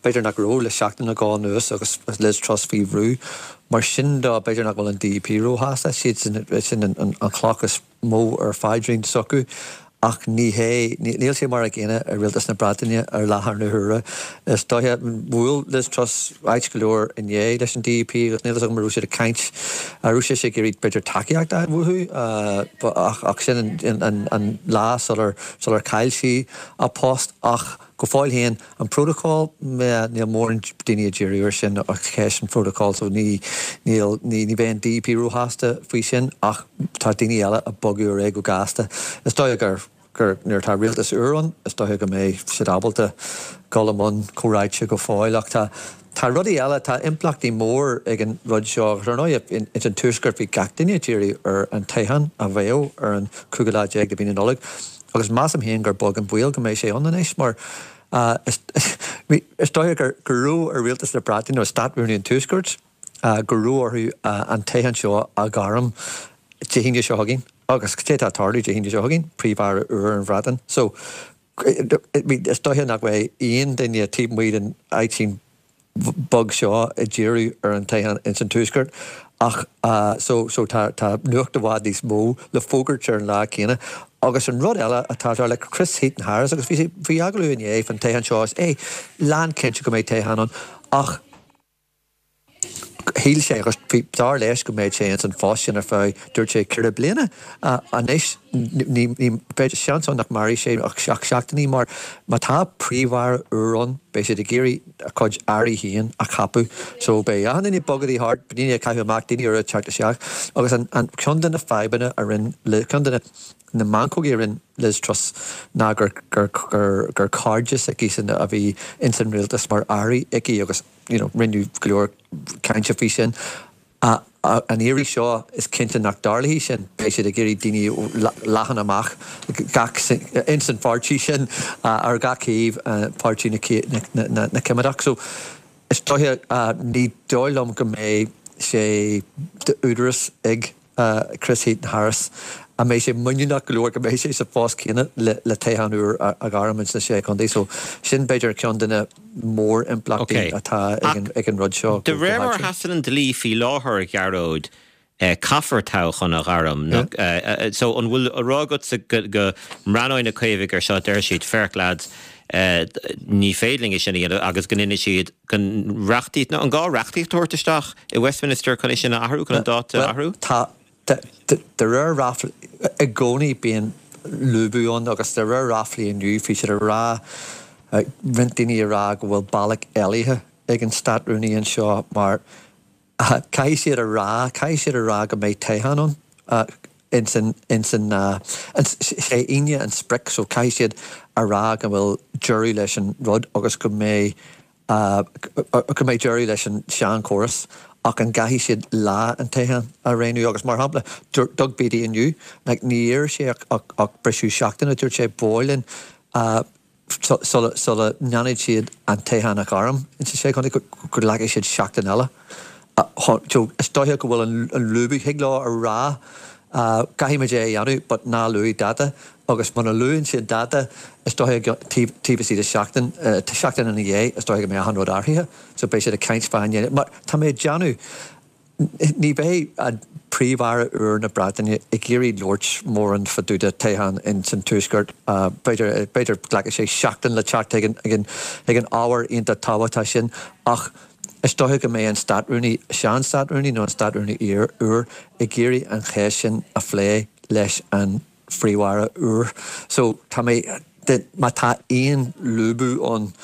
b'fhéidir nach raibh le seachtain nó dhó anuas agus Liz Truss faoi bhrú. Mar sin de, b'fhéidir nach bhfuil an DUP róshásta. Siad sin an chloch is mó ar phaidrín s'acu. Ach ní hé, níl sé mar a gcéanna i Rialtas na Breataine ar láthair na huaire. Is dóiche, bhuail Liz Truss ait go leor inné leis an DUP agus níl fhios agam an raibh siad ag caint, an raibh sise ag iarraidh b'fhéidir tacaíocht a fháil uathu ach sin an lá sular sular chaill sí a post ach go fóill féin, An prótocol, níl mórán daoine ag díriú ar sin ach ceist an phrótacail so ní, níl, ní, ní bheidh an DUP róshásta faoi sin ach tá daoine eile ag bogadh ar aghaidh go gasta. Is dóiche gur, gur nuair atá rialtas úr ann is dóiche go mbeidh siad ábalta dul i mbun comhráite go fóill ach tá, tá rudaí eile, tá impleachtaí mór ag an rud seo agus ar ndóigh ins an Tuaisceart bhí gach duine ag díriú ar an toghchán a bheadh ar an cúigiú lá déag de mhí na Nollag. Agus measaim féin gur beag an baol go mbeidh sé ann anois mar is dóiche go raibh ar Rialtas na Breataine nó Stát-Rúnaí an Tuaiscirt go raibh orthu an toghchán seo a ghairm Dé hAoine seo chugainn. Agus cad é atá ag tarlú Dé hAoine seo chugainn? Príomh-Aire úr an Bhreatain. So is dóiche nach mbeidh aon duine taobh amuigh den áitín beag seo ag díriú ar an toghchán ins an Tuaisceart ach so so tá tá nuacht i bhfad níos mó le fógairt ar an lá céanna. Agus an rud eile atá tar le Chris Heaton Harris agus bhí sé bhí agallamh inné fan toghchán seo is é lán cinnte go mbeidh toghchán ann ach shíl sé agus bhí dar leis go mbeadh sé ins an phost sin ar feadh dúirt sé 4 bliana anois ní ní bheidh seans ann nach mairfidh sé ach 7 seachtainí mar má tá príomh-aire úr ann beidh siad ag iarraidh a cuid airí féin a cheapadh so beidh achan duine ag bogadh thart daoine ag caitheamh amach daoine úra ag teacht isteach agus an an ceann de na fadhbanna a rinne ceann de na na meancógaí a rinne Liz Truss ná gur gur gur gur cairde s'aici a bhí ins an rialtas mar airí aici agus you know, rinneadh go leor cainte faoi sin. An iarraidh seo, is cinnte nach dtarlóidh sin. Beidh siad ag iarraidh daoine leathan amach gach, ins an pháirtí sin, ar gach taobh, páirtí na Coimeádach. So, is dóiche, ní dóigh liom go mbeidh sé d'údaras ag. Chris Heaton-Harris, an mbeidh sé muiníneach go leor go mbeidh sé sa phost céanna le toghchán úr a ghairm ins na Sé Chontae. So sin b'fhéidir ceann de na mór-impleachtaí atá ag an rud seo. De réir mar a sheasann an dlí faoi láthair, a Ghearóid, caithfear toghchán a ghairm. So an bhfuil á rá agatsa go mbreathnóidh na Caomhaigh ar seo, déarfaidh siad, féach lads, ní féidir linn é sin a dhéanamh agus go ndéanfaidh siad go reachtaíocht, nó an gá reachtaíocht a thabhairt isteach i Westminster chun é sin a athrú, chun an dáta a athrú? Bhuel, tá, de réir ráflaí, i gcónaí bíonn lúbadh ann agus de réir ráflaí inniu bhí siad ag rá, roinnt daoine ag rá go bhfuil bealach éalaithe ag an Stát-Rúnaí anseo mar caithfidh siad a rá, caithfidh siad a rá go mbeidh toghchán ann ins an, ins an, sé Aoine an sprioc so caithfidh siad a rá go bhfuil deireadh leis an rud agus go mbeidh, go mbeidh deireadh leis an seanchóras ach an gcaithfidh siad lá an toghcháin a roghnú agus mar shampla Doug Beattie inniu like ní iarr sé ach, ach, ach briseadh seachtaine dúirt sé ba mhaith linn sula ndéanfaidh siad an toghchán a ghairm ins na Sé Chontae, go nglacfaidh siad seachtain eile. Is dóiche go bhfuil an lúbadh, thig leo a rá caithfimid é a dhéanamh but ná luaigh dáta agus muna luann siad dáta is dóiche taobh istigh de sheachtain, seachtain ina dhiaidh is dóiche go mbeidh achan rud athraithe so beidh siad ag caint fán mar tá mé ag déanamh Ní bheidh an Príomh-Aire úr na Breataine ag iarraidh labhairt mórán fá dtaobh de toghchán ins an Tuaisceart. B'fhéidir, b'fhéidir glacfaidh sé seachtain le teacht chuig an, chuig an ábhar iontach tábhachtach sin ach is dóiche go mbeidh an Státrúnaí, sean-Státrúnaí nó an Státrúnaí úr ag iarraidh an cheist sin a phlé leis an Phríomh-Aire úr. So tá mé, má tá aon lúbadh ann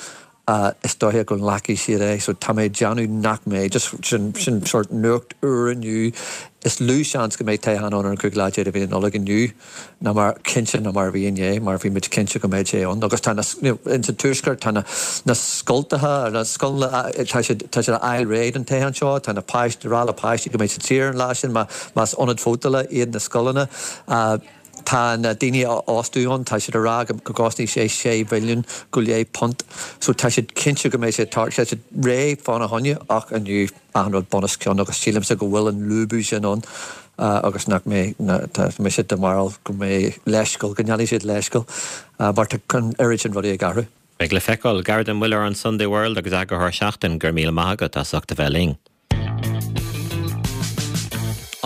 is dóiche go nglacfaidh siad é. So tá mé ag déanamh nach mbeidh, just sin, sin sort nuacht úr inniu. Is lú seans go mbeidh toghchán ann ar an 15 lá de mhí na Nollag inniu ná mar, cinnte ná mar a bhí inné, mar bhí muid cinnte go mbeadh sé ann. Agus tá na, you know, ins an Tuaisceart tá na, na scoltacha, na scoileanna, tá siad, tá siad a fháil réidh don toghchán seo, tá na páistí, rá le páistí go mbeidh siad saor an lá sin má, más ionad vótála iad na scoileanna. Tá na daoine á fhostú ann, tá siad ag rá go gcosnóidh sé sé mhilliún go leith punt. So tá siad cinnte go mbeidh sé ag tarlú, tá siad réidh fána choinne ach inniu achan rud bunoscionn agus sílimse go bhfuil an lúbadh sin ann agus nach mbeidh, tá mise den bharúil go mbeidh leithscéal, go ndéanfaidh siad leithscéal mar tá an oiread sin rudaí ag athrú. Beidh le feiceáil. Gearóid Ó Muilleoir an Sunday World agus eagarthóir Seachtain, go raibh míle maith agat as ucht a bheith linn.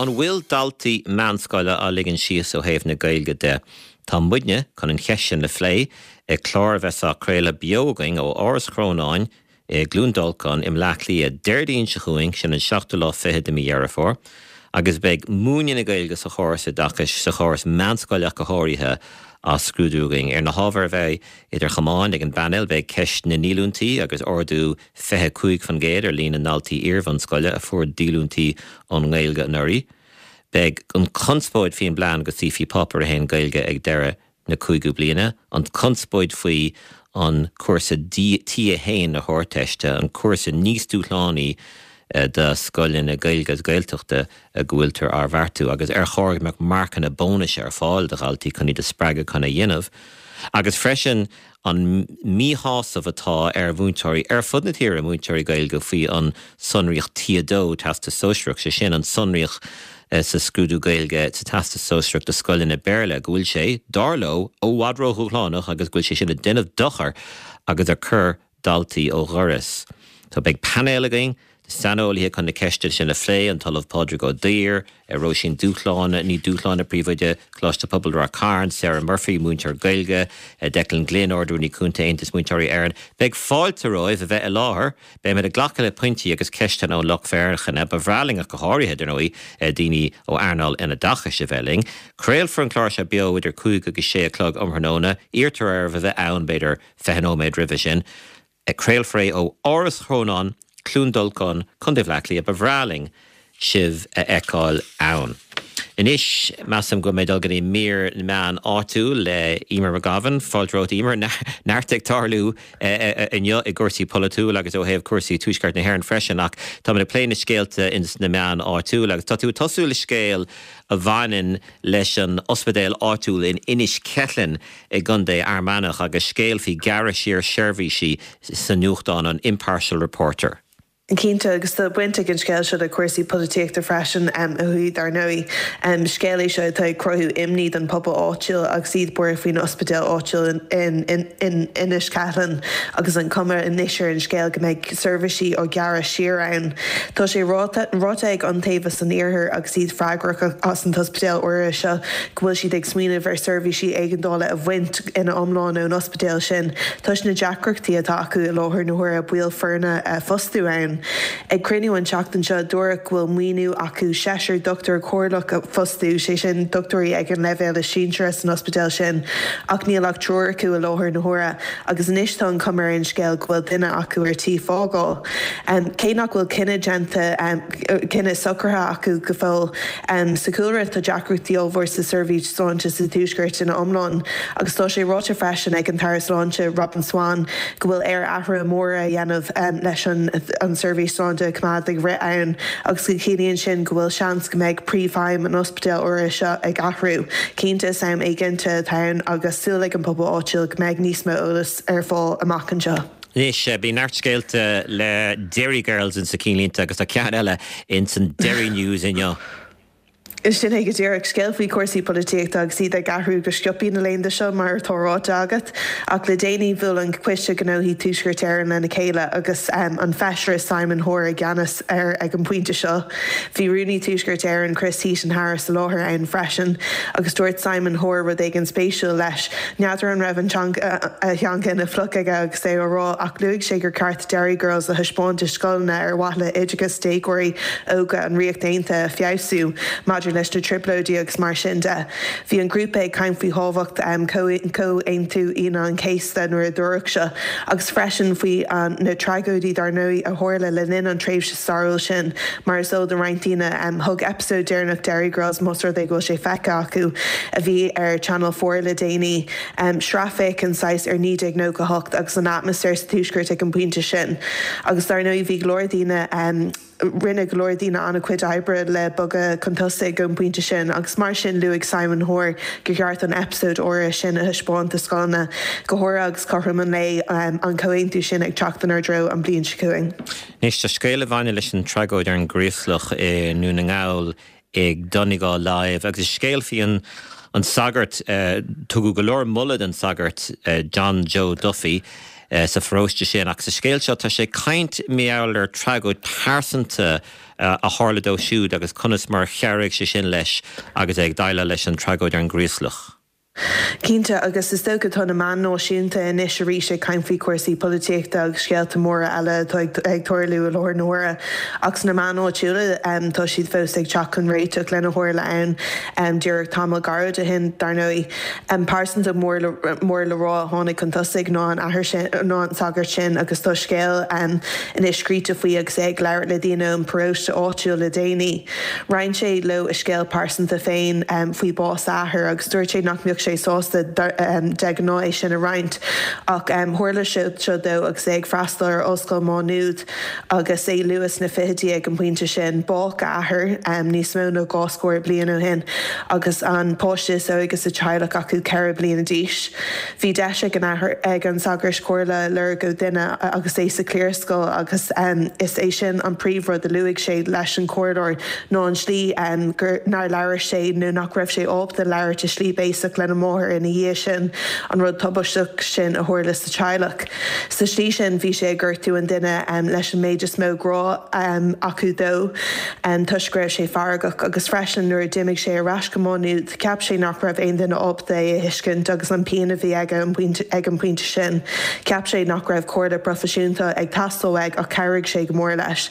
An bhfuil daltaí meánscoile á ligean síos ó thaobh na Gaeilge de? Tá muidne chun an cheist sin a phlé i clár a bheas á chraoladh beo againn ó Áras Chrónáin i gCluain Dolcáin i mBleá Cliath Déardaoin seo chugainn, sin an seachtú lá fichead de mí Dheireadh Fómhair, agus beidh múineadh na Gaeilge sa chóras oideachais, sa chóras meánscoile ach go háirithe, á scrúdú againn. Ar na hábhair a bheidh idir chamáin ag an bpainéal beidh ceist na ndíolúintí agus ardú 25% ar líon na ndaltaí iarbhunscoile a fuair díolúintí ón nGaeilge anuraidh. Beidh an chonspóid faoin bplean go suífí Páipéar 1 Gaeilge ag deireadh na cúigiú bliana, an chonspóid faoi an cúrsa T1 na hArdteiste, an cúrsa níos dúshlánaí do scoileanna Gaeilge agus Gaeltachta go bhfuiltear á bheartú, agus ar chóir go mbeadh marcanna bónais ar fáil do dhaltaí chun iad a spreagadh chun é a dhéanamh, agus freisin an míshásamh atá ar mhúinteoirí ar fud na tíre, múinteoirí Gaeilge, faoi an tsonraíocht T2, Teastas Sóisearach, sé sin an tsonraíocht sa scrúdú Gaeilge sa Teastas Sóisearach do scoileanna Béarla, go bhfuil sé, dar leo, i bhfad ródhúshlánach agus go bhfuil sé sin ag déanamh dochair agus ag cur daltaí ó dhoras. So beidh painéal againn de saineolaithe chun na ceisteanna sin a phlé, an tOllamh Pádraig Ó Duibhir, Róisín Dúshláine, Ní Dúshláine, Príomhoide Choláiste Pobail Ráth Cairn, Sarah Murphy, múinteoir Gaeilge, Declan Glynn, Ard-Rúnaí Cúnta Aontas Múinteoirí Éireann. Beidh fáilte romhaibh a bheith i láthair. Beimid ag glacadh le pointí agus ceisteanna ón lucht féachana. Ba bhreá linn ach go háirithe, dar ndóigh, daoine ó earnáil an oideachais a bheith linn. Craolfar an clár seo beo idir 5 agus 6 a chlog um thráthnóna. Iarrtar oraibh a bheith ann, b'fhéidir, 20 nóiméad roimhe sin. Craolfar é ó Áras Chrónáin, Cluain Dolcáin, Co. Bhaile Átha Cliath. Ba bhreá linn sibh a fheiceáil ann. Anois, measaim go bhfuil mé ag dul go dtí mír na meán áitiúil le Emer McGovern. Fáilte romhat, Emer. Neart ag tarlú inniu i gcúrsaí polaitiúil agus ó thaobh cúrsaí Tuaisceart na hÉireann freisin ach táimid ag plé na scéalta ins na meáin áitiúil agus tá tú ag tosú le scéal a bhaineann leis an ospidéal áitiúil in Inis Ceithleann i gContae Fhear Manach agus scéal faoi ghearradh siar seirbhísí sa nuachtán an Impartial Reporter. Cinnte, agus tá baint ag an scéal seo le cúrsaí polaitíochta freisin, a Hugh, dar ndóigh. Scéal é seo atá ag cruthú imní don phobal áitiúil agus iad buartha faoin ospidéal áitiúil in Inis Ceithleann agus an cuma anois ar an scéal go mbeidh seirbhísí á gearradh siar ann. Tá sé ráite ag Iontaobhas an Iarthair agus iad freagrach as an t-ospidéal áirithe seo go bhfuil siad ag smaoineamh ar seirbhísí éigeandála a bhaint ina iomlán ón ospidéal sin toisc na deacrachtaí atá acu i láthair na huaire baill foirne a fhostú ann. Ag cruinniú an tseachtain seo dúradh go bhfuil maoiniú acu seisear dochtúir comhairleach a fhostú, sé sin dochtúirí ag an leibhéal is sinseara san ospidéal sin, ach níl ach triúr acu i láthair na huaire agus anois tá an chuma ar an scéal go bhfuil duine acu ar tí fágáil. Cé nach bhfuil cinneadh déanta, cinneadh socraithe acu go fóill, Sa chúlra tá deacrachtaí ollmhór sa seirbhís sláinte sa Tuaisceart ina iomlán agus tá sé ráite freisin ag an tAire Sláinte Robin Swann go bhfuil air athruithe móra a dhéanamh leis an tseirbhís sláinte a choimeád ag rith ann agus go gciallaíonn sin go bhfuil seans go mbeidh príomhfheidhm an ospidéil áirithe seo ag athrú. Cinnte is am éiginnte atá ann agus súil ag an pobal áitiúil go mbeidh níos mó eolais ar fáil amach anseo. Anois, bíonn neart scéalta le Derry Girls insa cinnlínte agus tá ceann eile ins an Derry News inniu. Sin é go díreach. Scéal faoi chúrsaí polaitíochta agus iad ag athrú go sciobtha na laethanta seo, mar atá ráite agat. Ach le déanaí bhuail an Coiste Gnóthaí Tuaisceart Éireann lena chéile agus an Feisire Simon Hoare i gceannas air ag an bpointe seo. Bhí Rúnaí Tuaisceart Éireann Chris Heaton-Harris i láthair ann freisin agus dúirt Simon Hoare rud éigin spéisiúil leis. N'fheadar an raibh an teanga, a theanga ina phluc aige agus é á rá ach luaigh sé gur ceart Derry Girls a thaispeáint i scoileanna ar mhaithe le hoideachas déagóirí óga an Ríocht Aontaithe a feabhsú maidir leis na trioblóidí agus mar sin de. Bhí an grúpa ag caint faoi thábhacht Chomhaontú Aoine an Chéasta nuair a dúradh seo agus freisin faoi na tragóidí dar ndóigh a tharla le linn an tréimhse stairiúil sin. Mar is eol do roinnt daoine, thug eipeasóid deireanach Derry Girls, más rud é go bhfuil sé feicthe acu, a bhí ar Channel 4 le déanaí, sracfhéachaint saghas ar 1998 agus an atmaisféar sa Tuaisceart ag an bpointe sin. Agus dar ndóigh bhí go leor daoine, rinne go leor daoine an-chuid oibre le bogadh chun tosaigh ón bpointe sin agus mar sin luaigh Simon Hoare gur cheart an eipeasóid áirithe sin a thaispeáint do scoileanna, go háirithe agus cothrom an lae an comhaontú sin ag teacht inár dtreo an bhliain seo chugainn. Anois tá scéal a bhaineann leis an tragóid ar an gCraoslach i nDún na nGall ag Donegal Live agus is scéal faoi an an sagart, tugadh go leor moladh don sagart John Joe Duffy sa pharóiste sin ach sa scéal seo tá sé ag caint mar gheall ar tragóid pearsanta a tharla dó siúd agus conas mar chabhraigh sé sin leis agus é ag déileáil leis an tragóid ar an gCraoslach. Cinnte, agus is dócha tá na meáin náisiúnta anois arís ag caint faoi chúrsaí polaitíochta agus scéalta móra eile atá ag tarlú i láthair na huaire. Ach sna meáin áitiúla tá siad fós ag teacht chun réiteach lena tharla ann díreach tamall gairid ó shin, dar ndóigh. Pearsanta mór mór le rá a tháinig chun tosaigh ná an athair sin, ná an sagart sin agus tá scéal anois scríte faoi agus é ag labhairt le daoine ón bparóiste áitiúil le déanaí. Roinn sé leo a scéal pearsanta féin faoi bás a athar agus dúirt sé nach mbeadh sé sásta de ghnáth é sin a roinnt ach tharla sé seo dó agus é ag freastal ar Ollscoil Mhá Nuad agus é luath sna fichidí ag an bpointe sin. Bádh a athair níos mó ná 2 scór bliain ó shin agus an páiste is óige sa teaghlach acu 4 bliana d'aois. Bhí deis ag an athair, ag an sagart comhairle a lorg ó dhuine agus é sa chliarscoil agus is é sin an príomhrud a luaigh sé leis an chomhairleoir ná an tslí gur nár labhair sé nó nach raibh sé ábalta labhairt i slí béasach lena mháthair ina dhiaidh sin, an rud tubaisteach sin a tharla sa teaghlach. Sa slí sin bhí sé ag gortú an duine leis an méid is mó grá acu dó toisc go raibh sé feargach agus freisin nuair a d'imigh sé ar ais go Má Nuad, Cheap sé nach raibh aon duine ábalta é a thuiscint agus an pian a bhí aige ag an bpointe sin. Cheap sé nach raibh comhairle proifisiúnta ag teastáil uaidh ach chabhraigh sé go mór leis.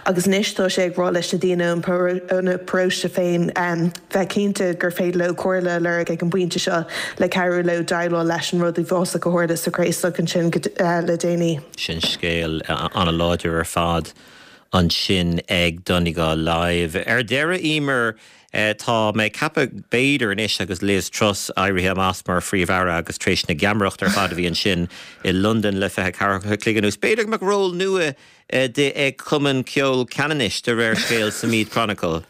Agus anois tá sé ag rá leis na daoine óna paróiste féin bheith cinnte gur féidir leo comhairle a lorg ag an bpointe seo le cabhrú leo déileáil leis an rud uafásach a tharla sa Chraoslach ansin le déanaí. Sin scéal an-láidir ar fad ansin ag Donegal Live. Ar deireadh, Emer, Tá mé ag ceapadh, b'fhéidir anois agus Liz Truss éirithe amach mar Phríomh-Aire agus tar éis na geamaireachta ar fad a bhí ansin i Londain le 24 a chloig anuas, b'fhéidir go mbeadh ról nua di ag Cumann Ceoil Cheanannais, de réir scéil sa Meath Chronicle.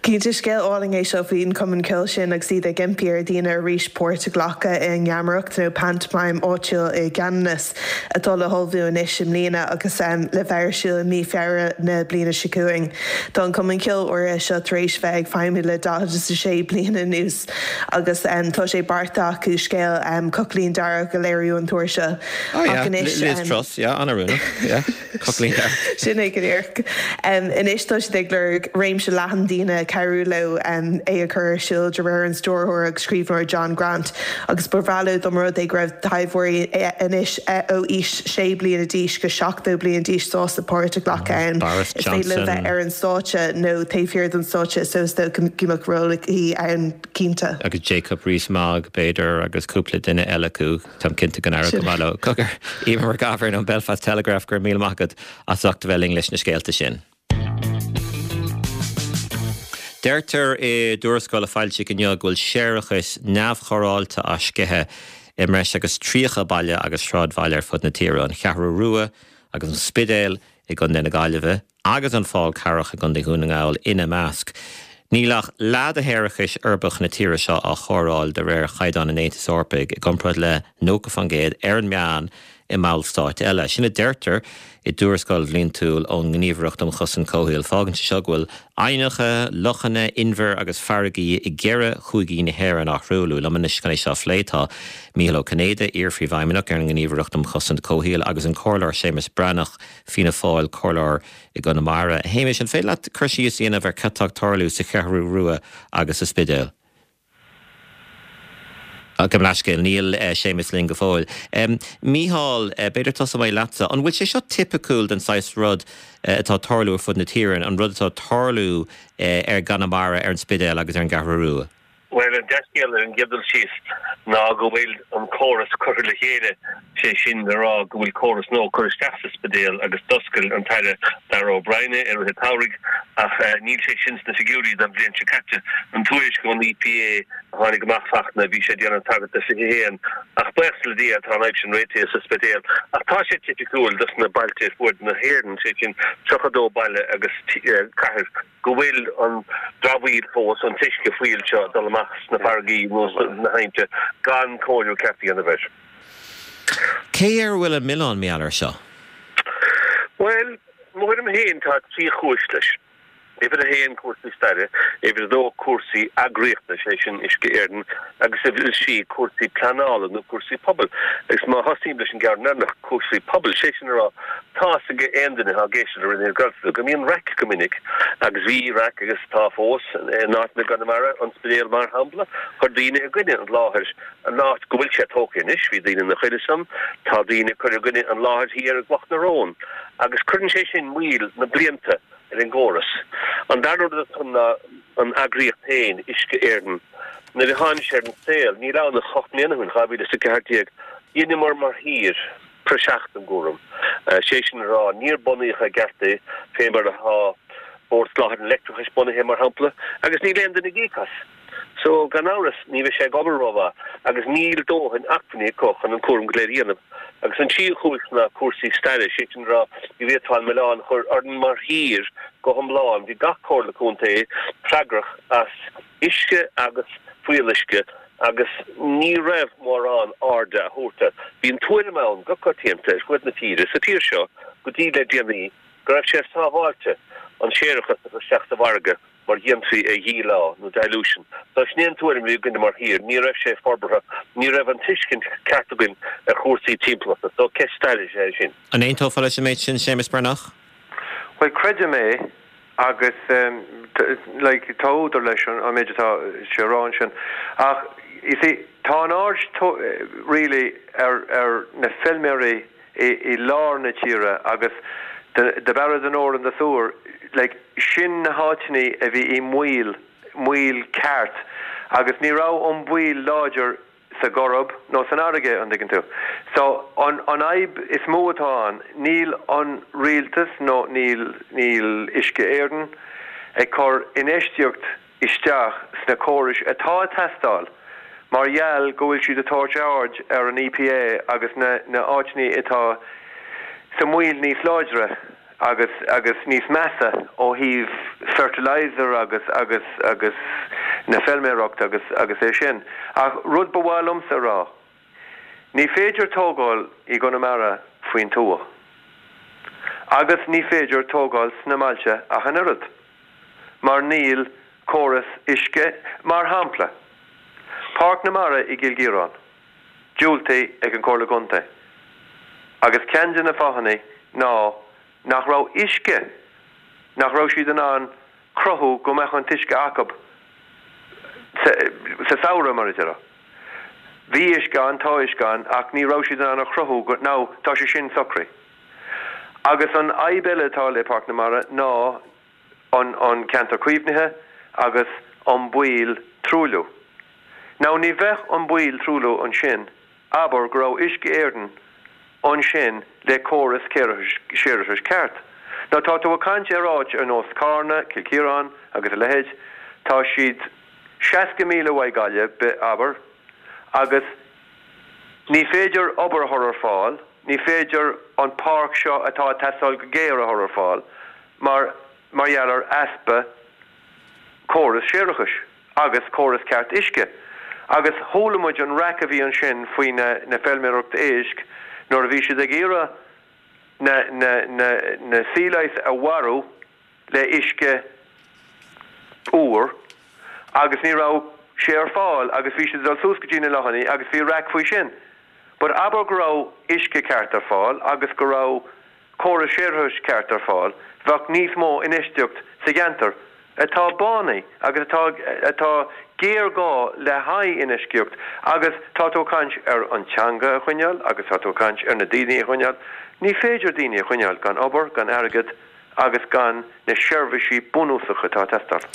Cinnte, scéal álainn é seo faoin chumann ceoil sin agus iad ag impí ar dhaoine arís páirt a ghlacadh i ngeamaireacht nó pantomime áitiúil i gCeanannas. atá le hullmhú anois i mbliana agus le bheith ar siúl i mí Feabhra na bliana seo chugainn. Tá an Cumann Ceoil áirithe seo tar éis bheith ag feidhmiú le 46 bliain anuas agus tá sé beartaithe acu scéal Cochaillín Dearg a léiriú an t-uair seo. Oh yeah, Liz Truss, yeah, an-oiriúnach, yeah, Cochaillín Dearg. Sin é go díreach. Anois tá siad ag lorg réimse leathan daoine cabhrú leo é a chur ar siúl, de réir an stiúrthóir agus scríbhneoir John Grant. Agus ba bhreá leo dá mba rud é go raibh taibheoirí anois ó aois 6 bliana d'aois go 70 bliain d'aois sásta páirt a ghlacadh ann. Boris Is féidir leo bheith ar an stáitse nó taobh thiar den stáitse so is dócha go mbeadh ról aici ann cinnte. Agus Jacob Rees-Mogg, b'fhéidir, agus cúpla duine eile acu. Táim cinnte go n-éireodh go maith leo. Cogar, Emer McGovern ón Belfast Telegraph, go raibh míle maith agat as ucht a bheith linn leis na scéalta sin. Deirtear i dtuarascáil a foilsíodh inniu go bhfuil séarachas neamhchóireáilte á sceitheadh i mbreis agus 30 baile agus sráidbhaile ar fud na tíre, an Cheathrú Rua agus an Spidéal i gContae na Gaillimhe agus an Fál Carrach i gContae Dhún na nGall ina measc. Níl ach leath de shéarachas uirbeach na tíre seo á chóireáil de réir chaighdeáin an Aontais Eorpaigh, i gcomparáid le 90% ar an meán i mballstáit eile. Sin a deirtear i dtuarascáil bhliantúil ón nGníomhaireacht um Chosaint Comhshaoil. Fágann sé seo go bhfuil aibhneacha, lochanna, inbhir agus farraigí i gceithre chúigí na hÉireann á thruailliú. Liom anois chun é seo a phlé tá Mícheál Ó Cinnéide, iar-phríomhfheidhmeannach ar an nGníomhaireacht um Chosaint Comhshaoil agus an Comhairleoir Séamus Breathnach, Fianna Fáil, Comhairleoir i gConamara. A Shéamais, an féidir leat cur síos a dhéanamh ar cad tá ag tarlú sa Cheathrú Rua agus sa Spidéal? Gabh mo leithscéal, níl Séamus linn go fóill. Mícheál, b'fhéidir tosóidh mé leatsa. An bhfuil sé seo tipiciúil den saghas rud atá ag tarlú ar fud na tíre, an rud atá ag tarlú i gConamara, ar an Spidéal agus ar an gCeathrú Rua? Bhuel, an dea-scéal ar an gcéad dul síos ná go bhfuil an córas curtha le chéile, sé sin le rá go bhfuil córas nua curtha isteach sa Spidéal agus d'oscail an tAire Darragh O'Brien é i rith an tsamhraidh ach níl sé sin sna figiúirí don bhliain seo caite. An tuairisc ón EPA a tháinig amach Fachtna, bhí sé ag déanamh tagairt do 21 ach buíochas le Dia tá an fhadhb sin réitithe sa Spidéal. Ach tá sé tipiciúil dos na bailte ar fuaid na hÉireann, sé sin 32 baile agus cathair, go bhfuil an dramhaíl fós, an t-uisce fuíll seo ag dul amach sna farraigí nó sna haibhnte gan cóiriú ceart a dhéanamh air. Cé air a bhfuil an milleán, mar gheall air seo? Bhuel, mo thuairim féin, tá trí chúis leis. Uimhir a haon, cúrsaí staire, uimhir a dó, cúrsaí eagraíochta, sé sin Uisce Éireann, agus uimhir a trí, cúrsaí pleanála nó cúrsaí pobail. Agus má thosaím leis an gceann deireanach, cúrsaí pobail, sé sin a rá, tá fhios ag aon duine atá ag éisteacht le Raidió na Gaeltachta go mbíonn raic go minic, agus bhí raic agus tá fós, in áiteanna i gConamara, an Spidéal mar shampla, chuir daoine i gcoinne an láthair, an áit go bhfuil sé tógtha anois, bhí daoine ina choinne san, tá daoine ag cur i gcoinne an láthair thiar i gCloch na Rón, agus cuireann sé sin moill na blianta. ar an gcóras. An dara rud atá ann ná an eagraíocht féin, Uisce Éireann. Nuair a tháinig sé ar an saol, níl ann ach 8 mbliana ó shin, 2014, dheineamar mar thír praiseach den gcúram. Sé sin a rá, níor bunaíodh i gceart é, fé mar atá Bord Soláthair an Leictreachais bunaithe, mar shampla, agus níl aon duine ag íoc as. So, gan amhras, ní bheidh sé ag obair rómhaith agus níl dóthain acmhainní acu chun an cúram go léir a dhéanamh. Agus an tríú cúis ná cúrsaí staire, sé sin a rá, ní bhféadfá an milleán a chur orainn mar thír go hiomlán. Bhí gach comhairle contae freagrach as uisce agus fuíolluisce agus ní raibh mórán airde á thabhairt air. Bhí an tuairim ann go coitianta ar fuaid na tíre, sa tír seo, go dtí le déanaí, go raibh sé sábháilte an séarachas a chur isteach sa bhfarraige. mar dhéanfaí é a dhíleá, nó dilution. So sin é an tuairim a bhí againne mar thír, ní raibh sé forbartha, ní raibh an tuiscint ceart againn ar chúrsaí timpeallachta. So ceist staire is ea é sin. An aontófá leis an méid sin, Séamus Breathnach? Bhuel, creidim é agus like tá údar leis an méid atá sé a rá ansin ach you see tá an aird really ar ar na feilméaraí i lár na tíre agus the Barra the Nore and the Suir, like, sin na háiteannaí a bhí i mbaol, mbaol ceart agus ní raibh an baol láidir sa gCoirib nó san fharraige, an dtuigeann tú. So, an, an fhadhb is mó atá ann, níl an rialtas nó níl, níl Uisce Éireann ag cur infheistíocht isteach sna córais atá ag teastáil mar gheall go bhfuil siad ag tabhairt aird ar an EPA agus na na áiteannaí atá sa mbaol níos láidre agus agus níos measa ó thaobh fertilizer agus agus agus na feilméireacht agus agus é sin. Ach rud ba mhaith liomsa a rá, ní féidir tógáil i gConamara faoin tuath agus ní féidir tógáil sna mbailte ach an oiread. mar níl córas uisce, mar shampla, Páirc na Mara i gCill Chiaráin, diúltaithe ag an Comhairle Contae agus ceann de na fáthanna ná nach raibh uisce, nach raibh siad in ann cruthú go mbeadh an t-uisce acu sa samhradh, mar a déarfá. Bhí uisce ann, tá uisce ann ach ní raibh siad in ann a chruthú go, now tá sé sin socraithe. Agus an fhadhb eile atá le Páirc na Mara ná an an ceantar caomhnaithe agus an baol truailliú. Now ní bheadh an baol truailliú ansin abair go raibh Uisce Éireann ansin le córas séarachais ceart. Now tá tú ag caint ar áit ar nós Carna, Cill Chiaráin agus a leithéid, tá siad 60 míle uaidh Gaillimh, abair, agus Ní féidir obair a chur ar fáil, ní féidir an páirc seo atá ag teastáil go géar a chur ar fáil mar mar gheall ar easpa córas séarachais agus córas ceart uisce. Agus chuala muid an raic a bhí ansin faoi na na feilméireacht éisc nuair a bhí siad ag iarraidh na na na na sea lice a mharú le uisce úr agus ní raibh sé ar fáil agus bhí siad ag dul suas go dtí na lochannaí agus bhí raic faoi sin. But abair go raibh uisce ceart ar fáil agus go raibh córas séarachais ceart ar fáil, bheadh níos mó infheistíocht sa gceantar atá bánaithe agus atá atá géarghá le haghaidh infheistíocht agus tá tú ag caint ar an teanga a choinneáil agus tá tú ag caint ar na daoine a choinneáil. Ní féidir daoine a choinneáil gan obair, gan airgead, agus gan na seirbhísí bunúsacha atá ag teastáil.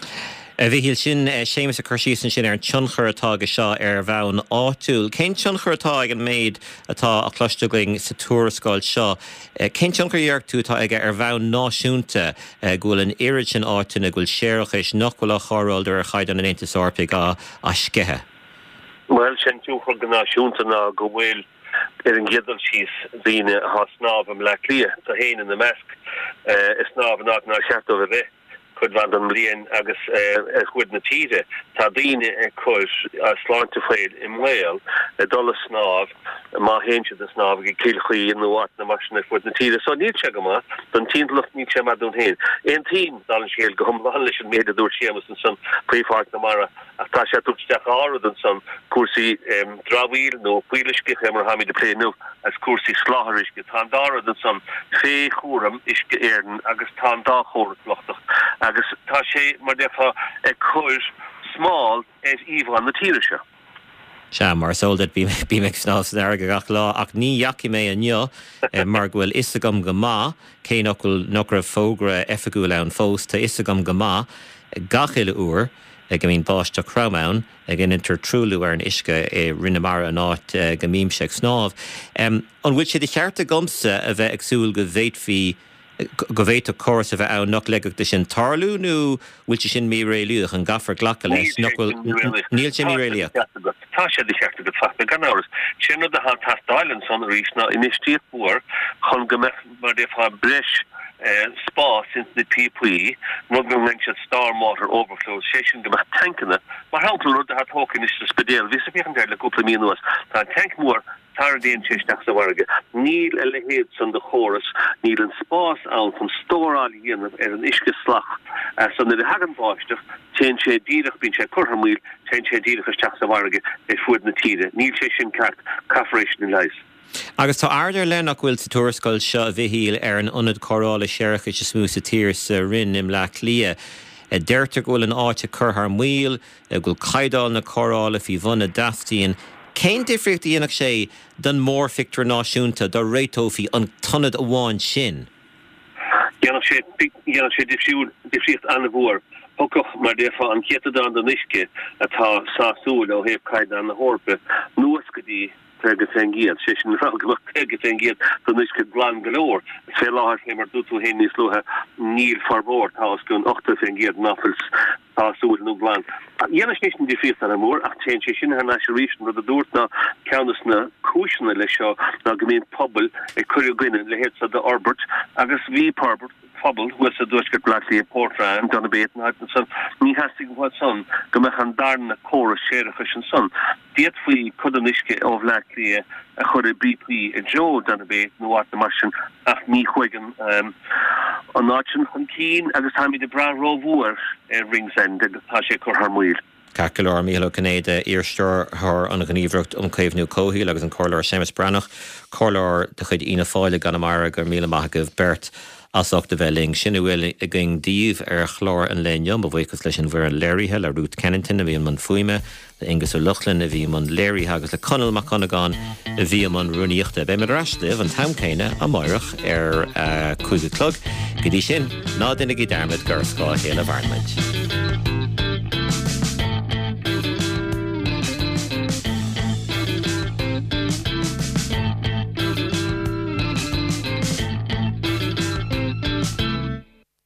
A Mhichíl, sin Séamus ag cur síos ansin ar an tionchar atá aige seo ar bhonn áitiúil. Cén tionchar atá ag an méid atá á chloiste againn sa tuarascáil seo? Cén tionchar a dhéarfadh tú atá aige ar bhonn náisiúnta go bhfuil an oiread sin áiteanna go bhfuil séarachais nach bhfuil á chóireáil de réir chaighdeán an Aontais Eorpaigh á sceitheadh? Bhuel, sé an tionchar go náisiúnta ná go bhfuil Ar an gcéad dul síos, daoine atá ag snámh i mBleá Cliath, tú féin ina measc, ag snámh in áit nár cheart dóibh a bheith. Cuid mhaith den mbliain agus ar fuaid na tíre tá daoine ag cur a sláinte féin i mbaol ag dul a snámh má théann siad a snámh ag Cill Chaoil nó áiteanna mar sin ar fuaid na tíre. So níl sé go maith don timpeallacht, níl sé maith dúinn féin. Aontaím, dála an scéil, go hiomlán leis an méid a dúirt Séamus ansan faoi Pháirc na Mara ach tá sé ag tabhairt isteach dhá rud ansan, cúrsaí dramhaíl nó fuíolluisce, fé mar atáimid ag plé inniu, agus cúrsaí soláthair uisce. Tá an dá rud ansan fé chúram Uisce Éireann agus tá an dá chóras lochtach agus tá sé, mar déarfá, ag cur smál ar íomhá na tíre seo. Sea, mar is eol duit, bím ag snámh san fharraige gach lá, ach ní dheachaigh mé inniu mar go bhfuil fhios agam go maith, cé nach bhfuil, nach raibh fógra oifigiúil ann fós, tá fhios agam go maith gach uile uair go mbíonn báisteach throm ann, go ndeintear truailliú ar an uisce i Rinn na Mara an áit go mbímse ag snámh. An bhfuil sé de cheart agamsa a bheith ag súil go bhféadfaí go bhféadfadh córas a bheith ann nach leigfeadh de sin tarlú nó bhfuil sé sin míréalaíoch? An gcaithfear glacadh leis nach bhfuil? Níl sé míréalaíoch. Tá sé de cheart agat, Fachtna, gan amhras. Sé an rud atá ag teastáil ansan arís ná infheistíocht mhór chun go mbeadh, mar a déarfá, breis spás ins na píopaí, rud go nglaonn siad storm water overflows, sé sin go mbeadh tancanna, mar shampla, an rud atá tógtha anois sa Spidéal, bhíos ag féachaint air le cúpla mí anuas, tá an tanc mór, Sara dtéann sé isteach sa bhfarraige. Níl a leithéid san de chóras, níl an spás ann chun stóráil a dhéanamh ar an uisce salach so nuair a thagann báisteach, téann sé díreach, bíonn sé curtha thar maoil, téann sé díreach isteach sa bhfarraige ar fuaid na tíre. Níl sé sin ceart, caithfear é sin a leigheas. Agus tá aird ar leith nach bhfuil sa tuarascáil seo, a Mhichíl, ar an ionad cóireála séarachais is mó sa tír sa Rinn i mBleá Cliath. Deirtear go bhfuil an áit ag cur thar maoil, go bhfuil caighdeán na cóireála faoi bhun a dteastaíonn. Cén difríocht a dhéanfadh sé don mhórphictiúr náisiúnta dá réiteofaí an t-ionad amháin sin? Dhéanfadh sé, dhéanfadh sé difriúil, difríocht an-mhór. Thiocfadh, mar déarfá, an céatadán den uisce atá sásúil ó thaobh caighdeán na hEorpa anuas go dtí 50%, sé sin le rá go mbeadh 50% den uisce glan go leor. Fé láthair, fé mar dúirt tú féin níos luaithe, níl formhór, tá os cionn 80% ná fuil sásúil nó glan. Dhéanfadh sé sin difríocht an-mhór ach téann sé sin thar n-ais arís, an rud a dúrt ná ceann des na cúiseanna leis seo ná go mbíonn pobail ag cur i gcoinne a leithéid seo d'fhorbairt agus bhí forbairt pobal thuas i dtuaisceart Bhaile Átha Cliath, Portrane, Donabate, na háiteanna san, ní theastaigh uathu san go mbeadh an darna córas séarachais ansan. D'fhéadfaí cuid den uisce ó Bhleá Cliath a chur i bpíopaí i dtreo Donabate nó áiteanna mar sin ach ní chuaigh an áit sin chun cinn agus táimid ag brath rómhór ar Ringsend agus tá sé ag cur thar maoil. Ceart go leor, Mícheál Ó Cinnéide, iar-stiúrthóir an Ghníomhaireacht um Chaomhnú Comhshaoil agus an Comhairleoir Séamus Breathnach, Comhairleoir de chuid Fhianna Fáil i gConamara, go raibh míle maith agaibh beirt as ucht a bheith linn. Sin a bhfuil againn daoibh ar chlár an lae inniu. Mo bhuíochas leis an bhfoireann léirithe, le Ruth Kennington a bhí i mbun fuaime, le Aengus Ó Lochlainn a bhí i mbun léirithe agus le Conall Mac Cuinneagáin a bhí i mbun rúnaíochta. Beidh muid ar ais libh an t-am céanna amáireach ar a 5 a chlog. Go dtí sin, ná déanaigí dearmad gur ar scáth a chéile a mhaireann muid.